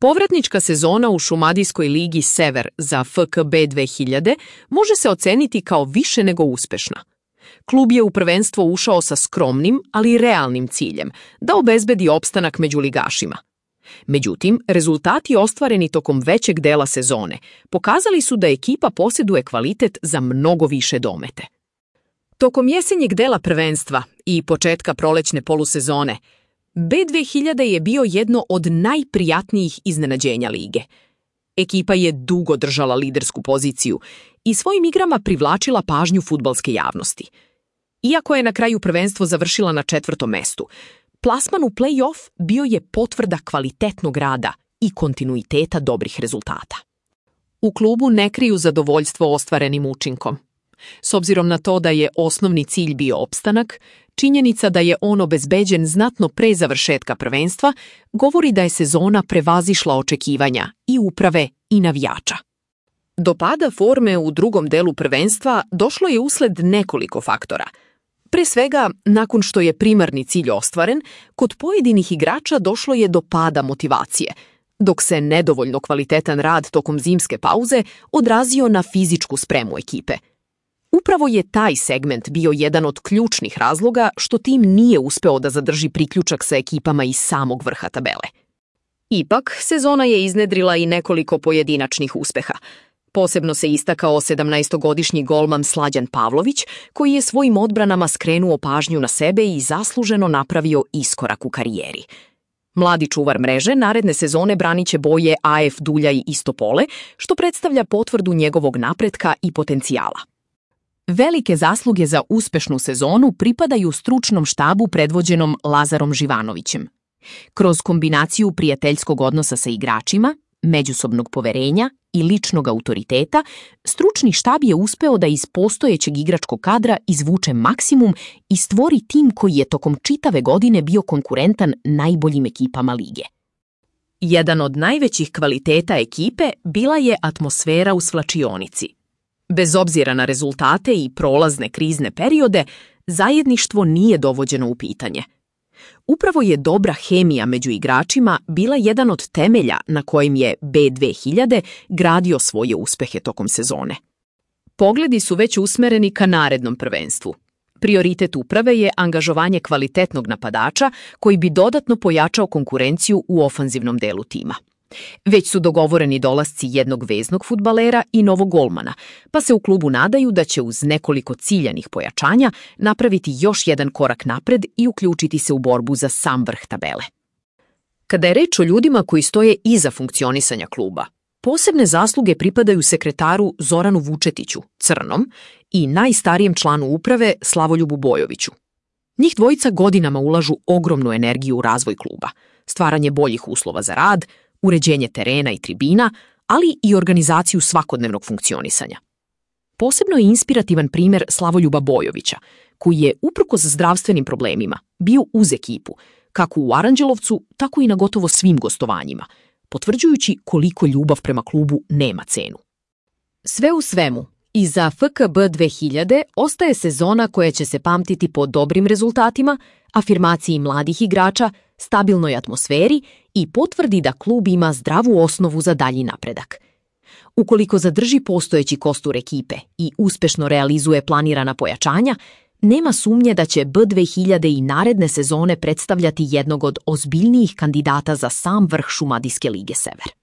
Povratnička sezona u Šumadijskoj ligi Sever za FKB 2000 može se oceniti kao više nego uspešna. Klub je u prvenstvo ušao sa skromnim, ali realnim ciljem da obezbedi opstanak među ligašima. Međutim, rezultati ostvareni tokom većeg dela sezone pokazali su da ekipa posjeduje kvalitet za mnogo više domete. Tokom jesenjeg dela prvenstva i početka prolećne polusezone, B2000 je bio jedno od najprijatnijih iznenađenja lige. Ekipa je dugo držala lidersku poziciju i svojim igrama privlačila pažnju fudbalske javnosti. Iako je na kraju prvenstvo završila na 4. mestu, plasman u play-off bio je potvrda kvalitetnog rada i kontinuiteta dobrih rezultata. U klubu ne kriju zadovoljstvo ostvarenim učinkom. S obzirom na to da je osnovni cilj bio opstanak, činjenica da je on obezbeđen znatno pre završetka prvenstva govori da je sezona prevazišla očekivanja i uprave i navijača. Do pada forme u drugom delu prvenstva došlo je usled nekoliko faktora. Pre svega, nakon što je primarni cilj ostvaren, kod pojedinih igrača došlo je do pada motivacije, dok se nedovoljno kvalitetan rad tokom zimske pauze odrazio na fizičku spremu ekipe. Upravo je taj segment bio jedan od ključnih razloga što tim nije uspeo da zadrži priključak sa ekipama iz samog vrha tabele. Ipak, sezona je iznedrila i nekoliko pojedinačnih uspeha. Posebno se istakao 17-godišnji golman Slađan Pavlović, koji je svojim odbranama skrenuo pažnju na sebe i zasluženo napravio iskorak u karijeri. Mladi čuvar mreže naredne sezone braniće boje AF Duljaj Istopole, što predstavlja potvrdu njegovog napretka i potencijala. Velike zasluge za uspešnu sezonu pripadaju stručnom štabu predvođenom Lazarom Živanovićem. Kroz kombinaciju prijateljskog odnosa sa igračima, međusobnog poverenja i ličnog autoriteta, stručni štab je uspeo da iz postojećeg igračkog kadra izvuče maksimum i stvori tim koji je tokom čitave godine bio konkurentan najboljim ekipama lige. Jedan od najvećih kvaliteta ekipe bila je atmosfera u svlačionici. Bez obzira na rezultate i prolazne krizne periode, zajedništvo nije dovođeno u pitanje. Upravo je dobra hemija među igračima bila jedan od temelja na kojim je B2000 gradio svoje uspehe tokom sezone. Pogledi su već usmereni ka narednom prvenstvu. Prioritet uprave je angažovanje kvalitetnog napadača koji bi dodatno pojačao konkurenciju u ofanzivnom delu tima. Već su dogovoreni dolasci jednog veznog fudbalera i novog golmana, pa se u klubu nadaju da će uz nekoliko ciljanih pojačanja napraviti još jedan korak napred i uključiti se u borbu za sam vrh tabele. Kada je reč o ljudima koji stoje iza funkcionisanja kluba, posebne zasluge pripadaju sekretaru Zoranu Vučetiću, Crnom, i najstarijem članu uprave Slavoljubu Bojoviću. Njih dvojica godinama ulažu ogromnu energiju u razvoj kluba, stvaranje boljih uslova za rad, uređenje terena i tribina, ali i organizaciju svakodnevnog funkcionisanja. Posebno je inspirativan primjer Slavoljuba Bojovića, koji je, uprkos zdravstvenim problemima, bio uz ekipu, kako u Aranđelovcu, tako i na gotovo svim gostovanjima, potvrđujući koliko ljubav prema klubu nema cenu. Sve u svemu, iza FKB 2000 ostaje sezona koja će se pamtiti po dobrim rezultatima, afirmaciji mladih igrača, stabilnoj atmosferi i potvrdi da klub ima zdravu osnovu za dalji napredak. Ukoliko zadrži postojeći kostur ekipe i uspešno realizuje planirana pojačanja, nema sumnje da će B2000 i naredne sezone predstavljati jednog od ozbiljnijih kandidata za sam vrh Šumadijske lige Sever.